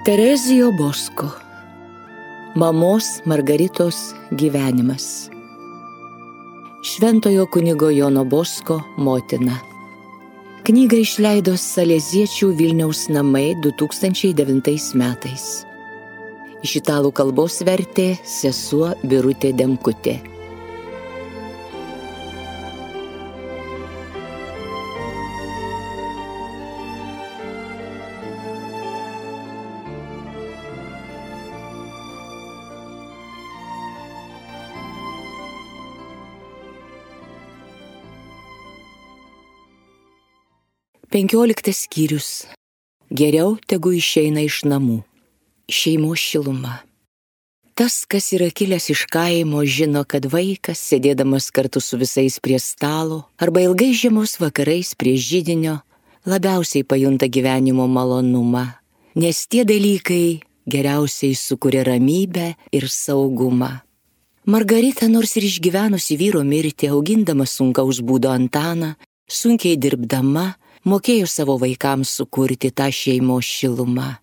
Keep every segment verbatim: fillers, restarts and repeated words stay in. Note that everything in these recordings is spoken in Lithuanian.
Terezijo Bosko. Mamos Margaritos gyvenimas. Šventojo kunigo Jono Bosko motina. Knygą išleido Saleziečių Vilniaus namai du tūkstančiai devintais metais. Iš italų kalbos vertė sesuo Birutė Demkutė. Penkioliktas skyrius. Geriau tegu išeina iš namų. Šeimos šiluma. Tas, kas yra kilęs iš kaimo, žino, kad vaikas, sėdėdamas kartu su visais prie stalo arba ilgai žiemos vakarais prie židinio, labiausiai pajunta gyvenimo malonumą, nes tie dalykai geriausiai sukuria ramybę ir saugumą. Margarita, nors ir išgyvenusi vyro mirtį, augindama sunkaus būdo Antaną, sunkiai dirbdama, mokėjo savo vaikams sukurti tą šeimos šilumą.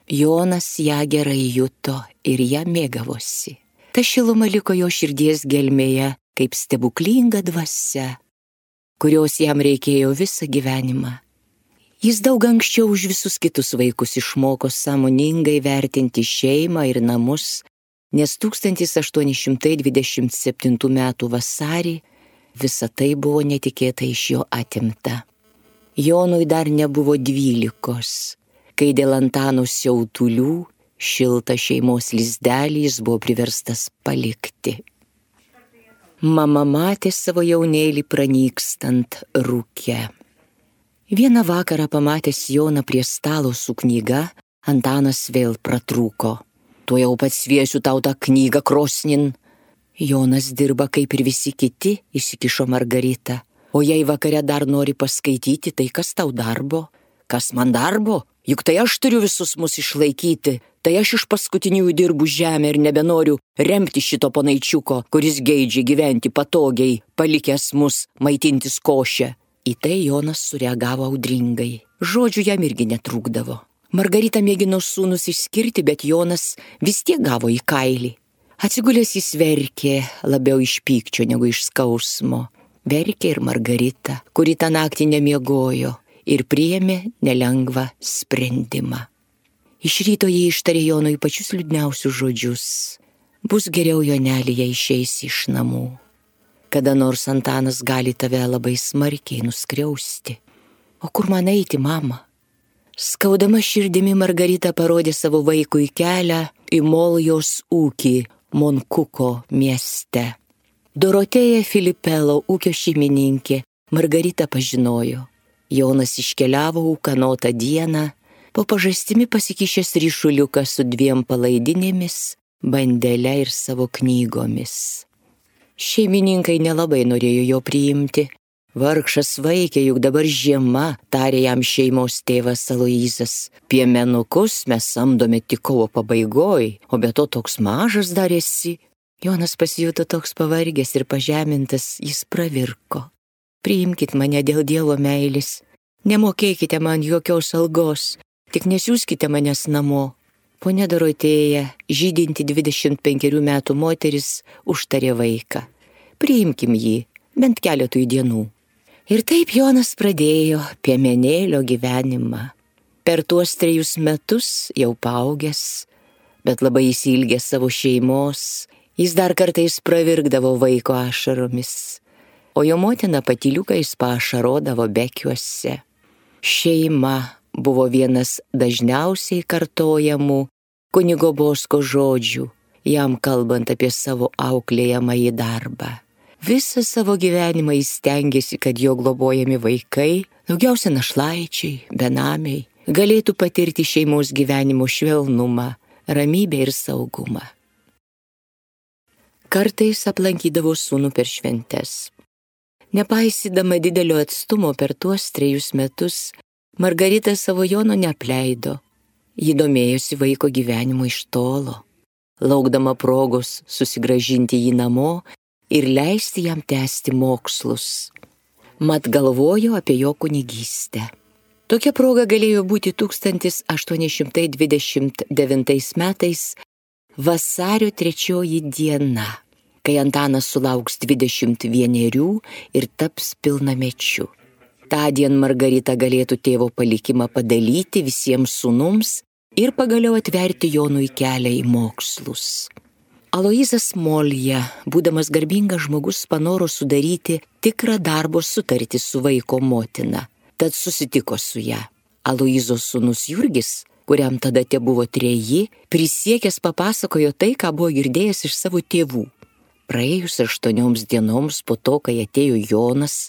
Jonas ją gerai juto ir ją mėgavosi. Ta šiluma liko jo širdies gelmėje kaip stebuklinga dvasia, kurios jam reikėjo visą gyvenimą. Jis daug anksčiau už visus kitus vaikus išmoko sąmoningai vertinti šeimą ir namus, nes tūkstantis aštuoni šimtai dvidešimt septintų metų vasarį visa tai buvo netikėtai iš jo atimta. Jonui dar nebuvo dvylikos, kai dėl Antano siautulių šiltą šeimos lizdelį jis buvo priverstas palikti. Mama matė savo jaunėlį pranykstant rūke. Vieną vakarą pamatęs Joną prie stalo su knyga, Antanas vėl pratrūko. Tuojau pats sviesiu tau tą knygą krosnin. Jonas dirba kaip ir visi kiti, įsikišo Margarita. O jei vakare dar nori paskaityti, tai kas tau darbo? Kas man darbo? Juk tai aš turiu visus mus išlaikyti. Tai aš iš paskutiniųjų dirbu žemę ir nebenoriu remti šito ponaičiuko, kuris geidžia gyventi patogiai, palikęs mus maitintis košę. Į tai Jonas sureagavo audringai. Žodžių jam irgi netrūkdavo. Margarita mėgino sūnus išskirti, bet Jonas vis tiek gavo į kailį. Atsigulęs jis verkė labiau iš pykčio negu iš skausmo. Verkė ir Margarita, kuri tą naktį nemiegojo ir priėmė nelengvą sprendimą. Iš ryto jie ištarė Jonui pačius liūdniausius žodžius. Bus geriau, Joneli, jei išeisi iš namų. Kada nors Antanas gali tave labai smarkiai nuskriausti. O kur man eiti, mama? Skaudama širdimi Margarita parodė savo vaikui kelią į Moljos ūkį Monkuko mieste. Dorotėja Filipelo, ūkio šeimininkė, Margarita pažinojo. Jonas iškeliavo ūkanotą dieną, po pažastimi pasikišęs ryšuliuką su dviem palaidinėmis, bandele ir savo knygomis. Šeimininkai nelabai norėjo jo priimti. Vargšas vaikė, juk dabar žiema, tarė jam šeimos tėvas Aloyzas. Piemenukus mes samdome tik kovo pabaigoj, o be to toks mažas dar esi. Jonas pasijuto toks pavargęs ir pažemintas, jis pravirko. Priimkit mane dėl Dievo meilės, nemokėkite man jokios algos, tik nesiųskite manęs namo. Ponia Dorotėja, žydinti dvidešimt penkerių metų moteris, užtarė vaiką. Priimkim jį, bent keletui dienų. Ir taip Jonas pradėjo piemenėlio gyvenimą. Per tuos trejus metus jau paaugęs, bet labai įsiilgęs savo šeimos, jis dar kartais pravirkdavo vaiko ašaromis, o jo motina patyliukais paašarodavo bekiuose. Šeima buvo vienas dažniausiai kartojamų kunigo Bosko žodžių, jam kalbant apie savo auklėjamąjį darbą. Visą savo gyvenimą jis stengėsi, kad jo globojami vaikai, daugiausia našlaičiai, benamiai, galėtų patirti šeimos gyvenimo švelnumą, ramybę ir saugumą. Kartais aplankydavo sūnų per šventes. Nepaisydama didelio atstumo per tuos trejus metus, Margarita savo Jono neapleido. Ji domėjosi vaiko gyvenimu iš tolo. Laukdama progos susigrąžinti jį namo, ir leisti jam tęsti mokslus. Mat galvojo apie jo kunigystę. Tokia proga galėjo būti tūkstantis aštuoni šimtai dvidešimt devintais metais vasario trečioji diena, kai Antanas sulauks dvidešimt vienerių ir taps pilnamečiu. Tądien Margarita galėtų tėvo palikimą padalyti visiems sūnums ir pagaliau atverti Jonui kelią į mokslus. Aloyzas Molja, būdamas garbingas žmogus, panoro sudaryti tikrą darbo sutartį su vaiko motina, tad susitiko su ją. Aloyzo sūnus Jurgis, kuriam tada tebuvo treji, prisiekęs papasakojo tai, ką buvo girdėjęs iš savo tėvų. Praėjus aštuonioms dienoms po to, kai atėjo Jonas,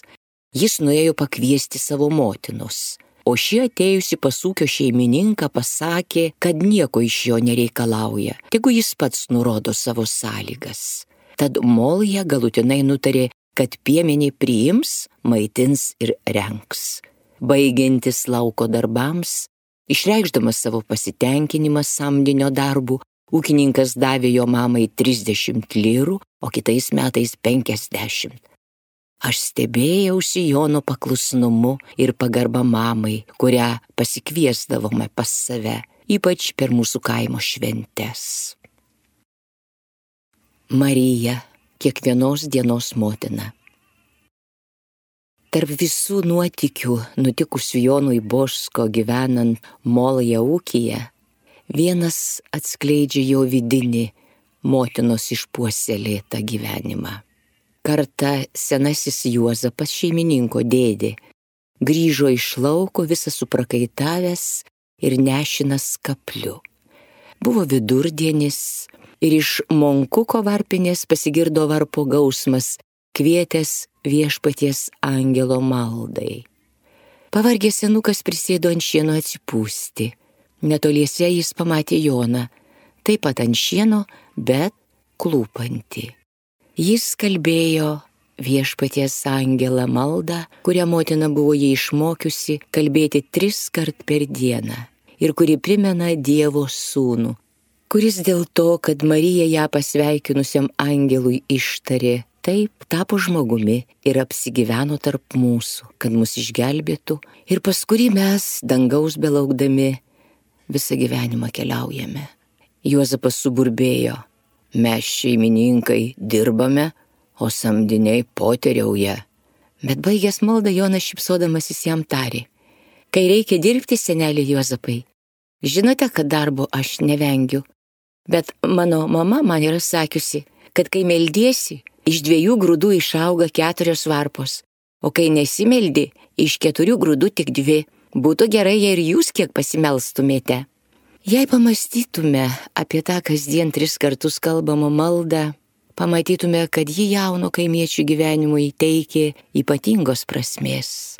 jis nuėjo pakviesti savo motinos, o ši atėjusi pas ūkio šeimininką pasakė, kad nieko iš jo nereikalauja, tegu jis pats nurodo savo sąlygas. Tad Molja galutinai nutarė, kad piemenį priims, maitins ir rengs. Baigiantis lauko darbams, išreikšdamas savo pasitenkinimą samdinio darbu, ūkininkas davė jo mamai trisdešimt lyrų, o kitais metais penkiasdešimt. Aš stebėjausi Jono paklusnumu ir pagarba mamai, kurią pasikviesdavome pas save, ypač per mūsų kaimo šventes. Marija, kiekvienos dienos motina. Tarp visų nuotykių nutikusių Jonui Boško gyvenant Molja ūkyje, vienas atskleidžia jo vidinį motinos išpuoselėtą gyvenimą. Kartą senasis Juozapas, šeimininko dėdė, grįžo iš lauko visas suprakaitavęs ir nešinas kapliu. Buvo vidurdienis ir iš Monkuko varpinės pasigirdo varpo gausmas, kvietęs viešpaties angelo maldai. Pavargęs senukas prisėdo ant šieno atsipūsti. Netoliese jis pamatė Joną, taip pat ant šieno, bet klūpantį. Jis kalbėjo viešpaties angelą maldą, kurią motina buvo jį išmokiusi kalbėti tris kart per dieną ir kuri primena Dievo sūnų, kuris dėl to, kad Marija ją pasveikinusiam angelui ištarė, taip tapo žmogumi ir apsigyveno tarp mūsų, kad mus išgelbėtų ir pas kurį mes, dangaus belaukdami, visą gyvenimą keliaujame. Juozapas suburbėjo, mes šeimininkai dirbame, o samdiniai poteriauja. Bet baigęs maldą Jonas šypsodamasis jam tarė, kai reikia dirbti, seneli Juozapai, žinote, kad darbo aš nevengiu, bet mano mama man yra sakiusi, kad kai meldiesi, iš dviejų grūdų išauga keturios varpos, o kai nesimeldi, iš keturių grūdų tik dvi. Būtų gerai, jei ir jūs kiek pasimelstumėte. Jei pamastytume apie tą kasdien tris kartus kalbamą maldą, pamatytume, kad ji jauno kaimiečių gyvenimui teikė ypatingos prasmės.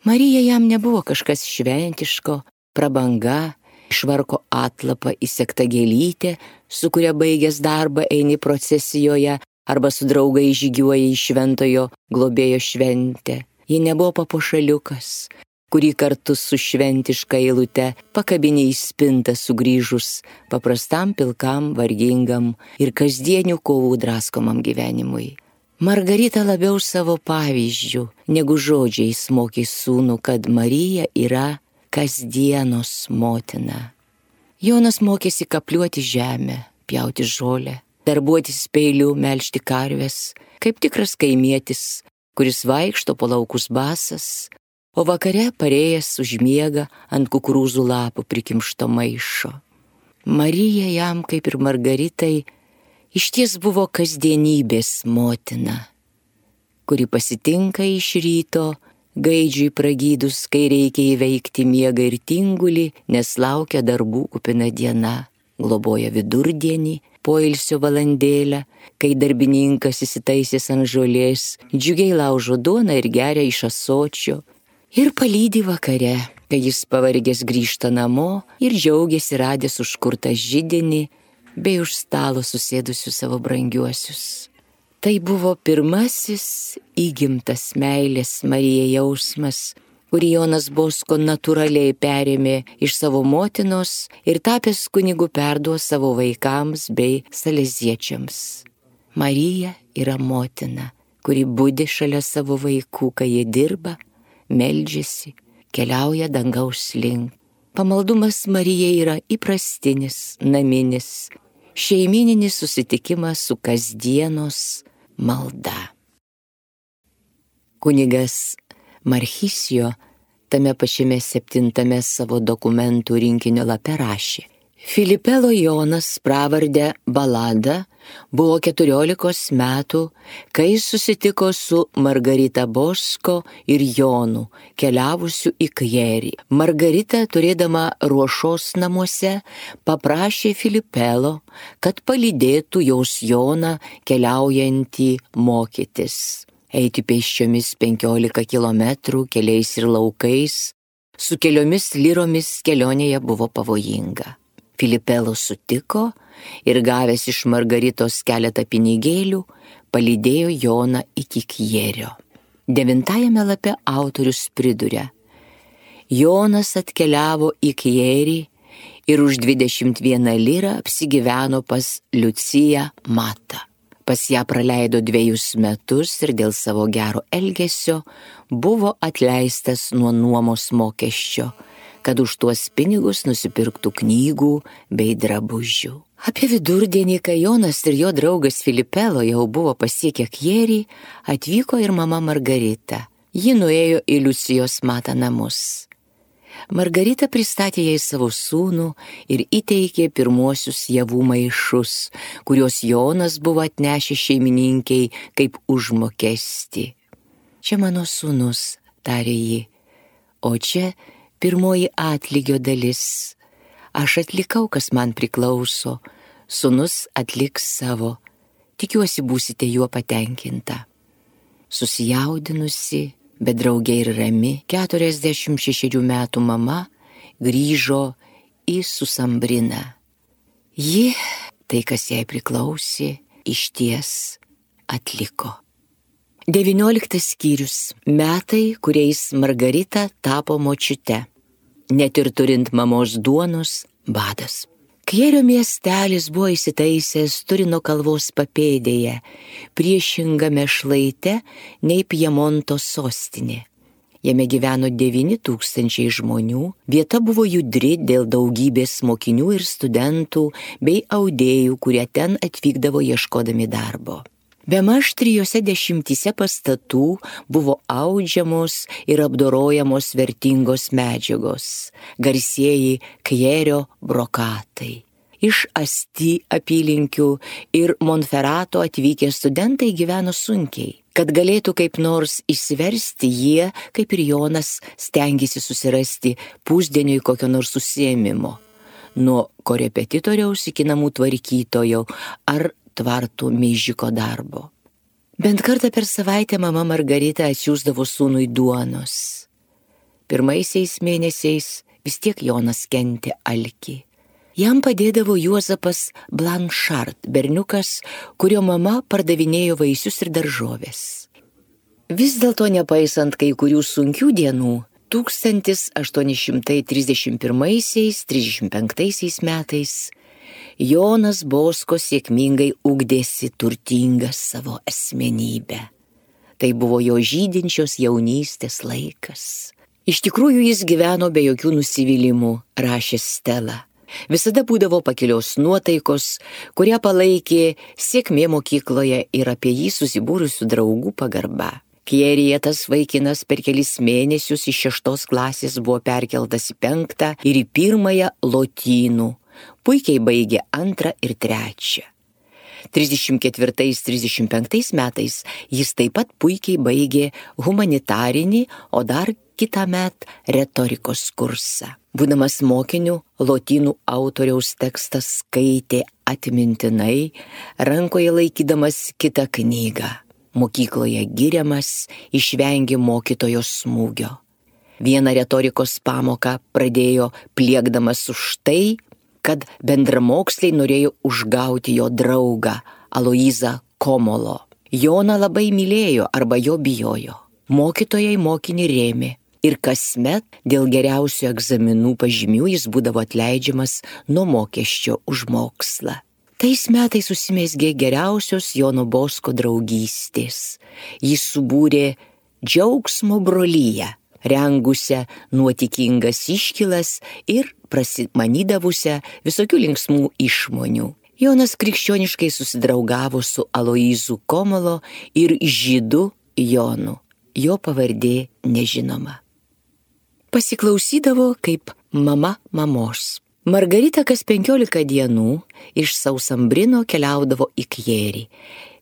Marija jam nebuvo kažkas šventiško, prabanga, švarko atlapą įsegta gėlytė, su kuria baigęs darbą eini procesijoje arba su draugai žygiuoja į šventojo globėjo šventę. Ji nebuvo papuošaliukas, kurį kartu su šventiška eilute pakabinė į spintą sugrįžus paprastam pilkam, vargingam ir kasdienių kovų draskomam gyvenimui. Margarita labiau savo pavyzdžių negu žodžiais mokė sūnų, kad Marija yra kasdienos motina. Jonas mokėsi kapliuoti žemę, pjauti žolę, darbuotis peiliu, melžti karves, kaip tikras kaimietis, kuris vaikšto po laukus basas, o vakare parėjęs užmiega ant kukurūzų lapų prikimšto maišo. Marija jam, kaip ir Margaritai, išties buvo kasdienybės motina, kuri pasitinka iš ryto, gaidžiui pragydus, kai reikia įveikti miegą ir tingulį, nes laukia darbų kupina diena, globoja vidurdienį, poilsio valandėlę, kai darbininkas įsitaisęs ant žolės, džiugiai laužo duoną ir geria iš ąsočio, ir palydi vakare, kai jis pavargęs grįžta namo ir džiaugiasi radęs užkurtą židinį bei už stalo susėdusius savo brangiuosius. Tai buvo pirmasis įgimtas meilės Marijai jausmas, kurį Jonas Bosko natūraliai perėmė iš savo motinos ir tapęs kunigu perduos savo vaikams bei saleziečiams. Marija yra motina, kuri budi šalia savo vaikų, kai jie dirba, meldžiasi, keliauja dangaus link. Pamaldumas Marijai yra įprastinis, naminis, šeimininis susitikimas su kasdienos malda. Kunigas Marchisijo tame pačiame septintame savo dokumentų rinkinio lape rašė: Filipelo Jonas pravardę Balada buvo keturiolikos metų, kai susitiko su Margarita Bosko ir Jonu, keliavusiu į Kjerį. Margarita, turėdama ruošos namuose, paprašė Filipelo, kad palydėtų jos Joną keliaujantį mokytis. Eiti pėsčiomis penkiolika kilometrų keliais ir laukais, su keliomis liromis kelionėje buvo pavojinga. Filipelo sutiko ir gavęs iš Margaritos keletą pinigėlių, palydėjo Joną iki Kjerio. Devintajame lape autorius priduria: Jonas atkeliavo į Kjerį ir už dvidešimt vieną lirą apsigyveno pas Liuciją Matą. Pas ją praleido dviejus metus ir dėl savo gero elgesio buvo atleistas nuo nuomos mokesčio, kad už tuos pinigus nusipirktų knygų bei drabužių. Apie vidurdienį, kai Jonas ir jo draugas Filipelo jau buvo pasiekę Kjerį, atvyko ir mama Margarita. Ji nuėjo į Liucijos Matą namus. Margarita pristatė jai savo sūnų ir įteikė pirmuosius javų maišus, kuriuos Jonas buvo atnešęs šeimininkiai kaip užmokestį. Čia mano sūnus, tarė ji, o čia pirmoji atlygio dalis. Aš atlikau, kas man priklauso, sūnus atliks savo. Tikiuosi būsite juo patenkinta. Susijaudinusi, bet draugė ir rami, keturiasdešimt šešerių metų mama grįžo į Susambriną. Ji, tai kas jai priklausė, išties atliko. Devynioliktas skyrius. Metai, kuriais Margarita tapo močiute. Net ir turint mamos duonos, badas. Kjerio miestelis buvo įsitaisęs Turino kalvos papėdėje, priešingame šlaite nei Pjemonto sostinė. Jame gyveno devyni tūkstančiai žmonių, vieta buvo judri dėl daugybės mokinių ir studentų bei audėjų, kurie ten atvykdavo ieškodami darbo. Bemaž trijose dešimtyse pastatų buvo audžiamos ir apdorojamos vertingos medžiagos, garsieji Kjerio brokatai. Iš Asti apylinkių ir Monferato atvykę studentai gyveno sunkiai. Kad galėtų kaip nors išsiversti, jie, kaip ir Jonas, stengėsi susirasti pusdieniui kokio nors užsiėmimo. Nuo korepetitoriaus iki namų tvarkytojo ar tvartų meižiko darbo. Bent kartą per savaitę mama Margarita atsiųsdavo sūnui duonos. Pirmaisiais mėnesiais vis tiek Jonas kentė alkį. Jam padėdavo Juozapas Blanchard, berniukas, kurio mama pardavinėjo vaisius ir daržovės. Vis dėlto, nepaisant kai kurių sunkių dienų, tūkstantis aštuoni šimtai trisdešimt pirmaisiais trisdešimt penktaisiais metais Jonas Bosko sėkmingai ugdėsi turtingą savo asmenybę. Tai buvo jo žydinčios jaunystės laikas. Iš tikrųjų jis gyveno be jokių nusivylimų, rašė Stela. Visada būdavo pakilios nuotaikos, kurią palaikė sėkmė mokykloje ir apie jį susibūrusių draugų pagarba. Kjeryje tas vaikinas per kelis mėnesius iš šeštos klasės buvo perkeltas į penktą ir į pirmąją lotynų. Puikiai baigė antrą ir trečią. trisdešimt ketvirtais trisdešimt penktais metais jis taip pat puikiai baigė humanitarinį, o dar kitąmet retorikos kursą. Būdamas mokiniu, lotynų autoriaus tekstas skaitė atmintinai, rankoje laikydamas kitą knygą. Mokykloje giriamas, išvengė mokytojo smūgio. Vieną retorikos pamoką pradėjo pliekdamas už tai, kad bendramoksliai norėjo užgauti jo draugą Aloyzą Komolo. Joną labai mylėjo arba jo bijojo. Mokytojai mokinį rėmė ir kasmet dėl geriausių egzaminų pažymių jis būdavo atleidžiamas nuo mokesčio už mokslą. Tais metais susimezgė geriausios Jono Bosko draugystės. Jis subūrė džiaugsmo brolyje, rengusią nuotikingas iškylas ir prasimanydavusią visokių linksmų išmonių. Jonas krikščioniškai susidraugavo su Aloyzu Komolo ir žydu Jonu. Jo pavardė nežinoma. Pasiklausydavo kaip mama mamos. Margarita kas penkiolika dienų iš Sausambrino keliaudavo į Kjerį,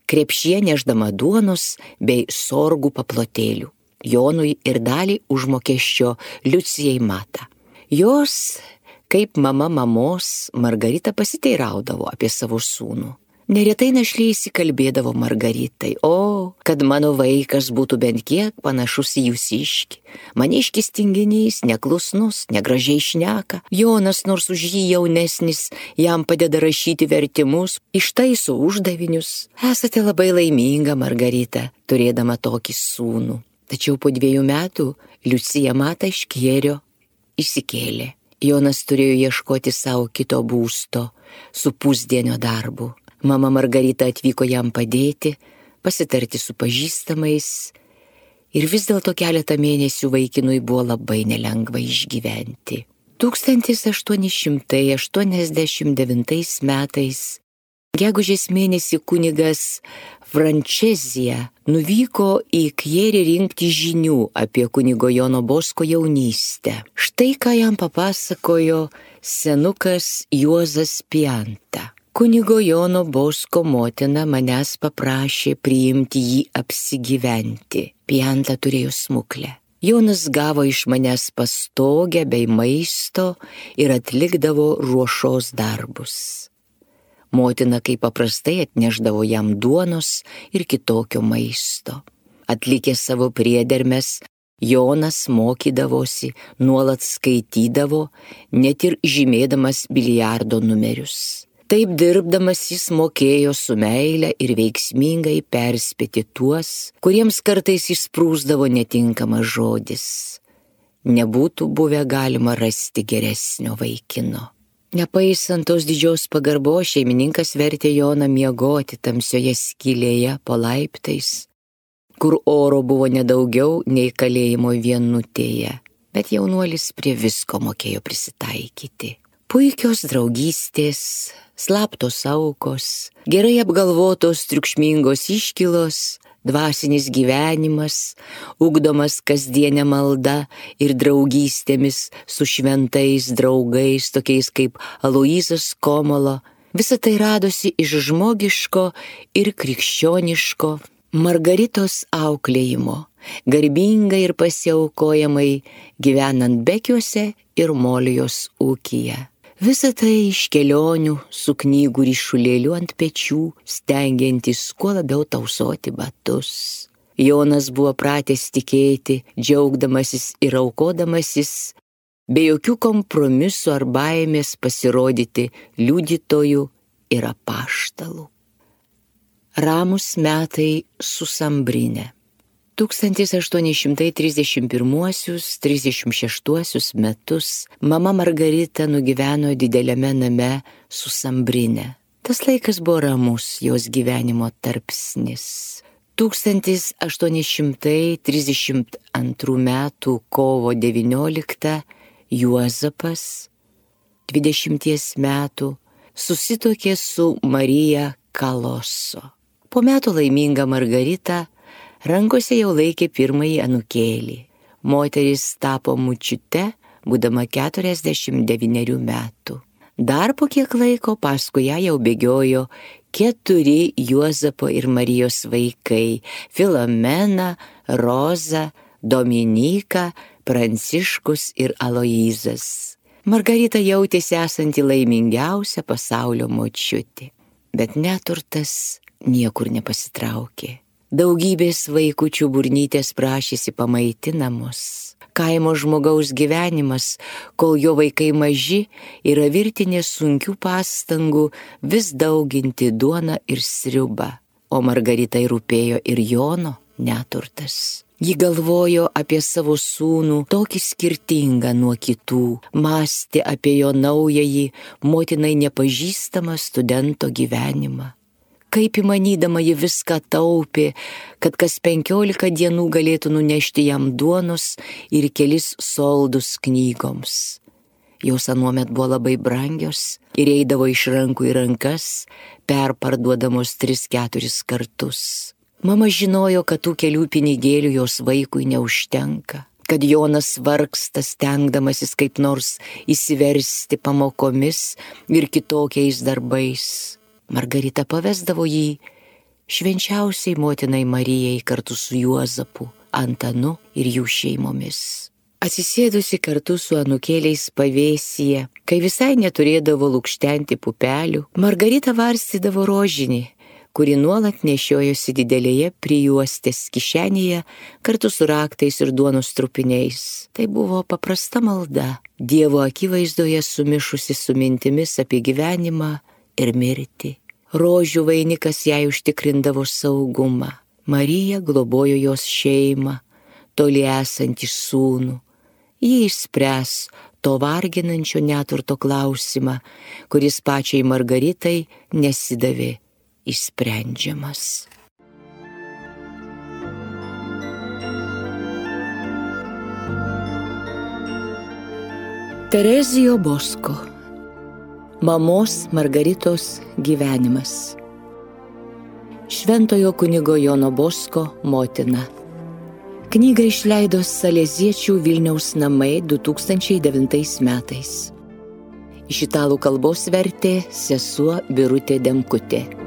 krepšyje nešdama duonos bei sorgų paplotėlių, Jonui ir dalį užmokesčio Liucijai Mata. Jos, kaip mama mamos, Margarita pasiteiraudavo apie savo sūnų. Neretai našlė įsikalbėdavo Margaritai: o, kad mano vaikas būtų bent kiek panašus į jūsiškį. Maniškis tinginys, neklusnus, negražiai šneka. Jonas, nors už jį jaunesnis, jam padeda rašyti vertimus, ištaiso uždavinius. Esate labai laiminga, Margarita, turėdama tokį sūnų. Tačiau po dviejų metų Liucija Mata iš Kjerio išsikėlė. Jonas turėjo ieškoti savo kito būsto su pusdienio darbu. Mama Margarita atvyko jam padėti, pasitarti su pažįstamais ir vis dėlto keletą mėnesių vaikinui buvo labai nelengva išgyventi. tūkstantis aštuoni šimtai aštuoniasdešimt devintais metais gegužės mėnesį kunigas Frančezija nuvyko į Kjerį rinkti žinių apie kunigo Jono Bosko jaunystę. Štai ką jam papasakojo senukas Juozas Pianta. Kunigo Jono Bosko motina manęs paprašė priimti jį apsigyventi. Pianta turėjo smuklę. Jonas gavo iš manęs pastogę bei maisto ir atlikdavo ruošos darbus. Motina kaip paprastai atneždavo jam duonos ir kitokio maisto. Atlikęs savo priedermes, Jonas mokydavosi, nuolat skaitydavo, net ir žymėdamas biliardo numerius. Taip dirbdamas jis mokėjo su meile ir veiksmingai perspėti tuos, kuriems kartais išsprūsdavo netinkamas žodis. Nebūtų buvę galima rasti geresnio vaikino. Nepaisant tos didžios pagarbos, šeimininkas vertė Joną miegoti tamsioje skylėje po laiptais, kur oro buvo nedaugiau nei kalėjimo vienutėje, bet jaunuolis prie visko mokėjo prisitaikyti. Puikios draugystės, slaptos aukos, gerai apgalvotos triukšmingos iškylos, dvasinis gyvenimas, ugdomas kasdienė malda ir draugystėmis su šventais draugais, tokiais kaip Aloyzas Komolo, visa tai radosi iš žmogiško ir krikščioniško Margaritos auklėjimo, garbingai ir pasiaukojamai gyvenant Bekiuose ir Molijos ūkyje. Visa tai iš kelionių su knygų ryšulėliu ant pečių, stengiantis kuo labiau tausoti batus. Jonas buvo pratęs tikėti, džiaugdamasis ir aukodamasis, be jokių kompromisų ar baimės pasirodyti liudytojų ir apaštalų. Ramus metai Susambrine. tūkstantis aštuoni šimtai trisdešimt pirmuosius - trisdešimt šeštuosius metus mama Margarita nugyveno dideliame name Susambrine. Tas laikas buvo ramus jos gyvenimo tarpsnis. tūkstantis aštuoni šimtai trisdešimt antrų metų kovo devynioliktą Juozapas, dvidešimties metų, susituokė su Marija Kaloso. Po metų laiminga Margarita rankose jau laikė pirmąjį anūkėlį. Moteris tapo močiute, būdama keturiasdešimt devynerių metų. Dar po kiek laiko paskui ją jau bėgiojo keturi Juozapo ir Marijos vaikai – Filomena, Roza, Dominyka, Pranciškus ir Aloyzas. Margarita jautėsi esanti laimingiausia pasaulio močiutė, bet neturtas niekur nepasitraukė. Daugybės vaikučių burnytės prašėsi pamaitinamos. Kaimo žmogaus gyvenimas, kol jo vaikai maži, yra virtinė sunkių pastangų vis dauginti duoną ir sriubą. O Margaritai rūpėjo ir Jono neturtas. Ji galvojo apie savo sūnų tokį skirtingą nuo kitų, mąstė apie jo naująjį, motinai nepažįstamą studento gyvenimą. Kaip įmanydama ji viską taupė, kad kas penkiolika dienų galėtų nunešti jam duonos ir kelis soldus knygoms. Jos anuomet buvo labai brangios ir eidavo iš rankų į rankas, perparduodamos tris keturis kartus. Mama žinojo, kad tų kelių pinigėlių jos vaikui neužtenka, kad Jonas vargsta stengdamasis kaip nors įsiversti pamokomis ir kitokiais darbais. Margarita pavesdavo jį švenčiausiai motinai Marijai kartu su Juozapu, Antanu ir jų šeimomis. Atsisėdusi kartu su anūkėliais pavėsyje, kai visai neturėdavo lukštenti pupelių, Margarita varstydavo rožinį, kuri nuolat nešiojosi didelėje prijuostės kišenėje kartu su raktais ir duonos trupiniais. Tai buvo paprasta malda, Dievo akivaizdoje sumišusi su mintimis apie gyvenimą ir mirtį. Rožių vainikas jai užtikrindavo saugumą. Marija globojo jos šeimą, toli esantį sūnų. Ji išspręs to varginančio neturto klausimą, kuris pačiai Margaritai nesidavė išsprendžiamas. Terezijo Bosko. Mamos Margaritos gyvenimas. Šventojo kunigo Jono Bosko motina. Knygą išleido Saleziečių Vilniaus namai du tūkstančiai devintais metais. Iš italų kalbos vertė sesuo Birutė Demkutė.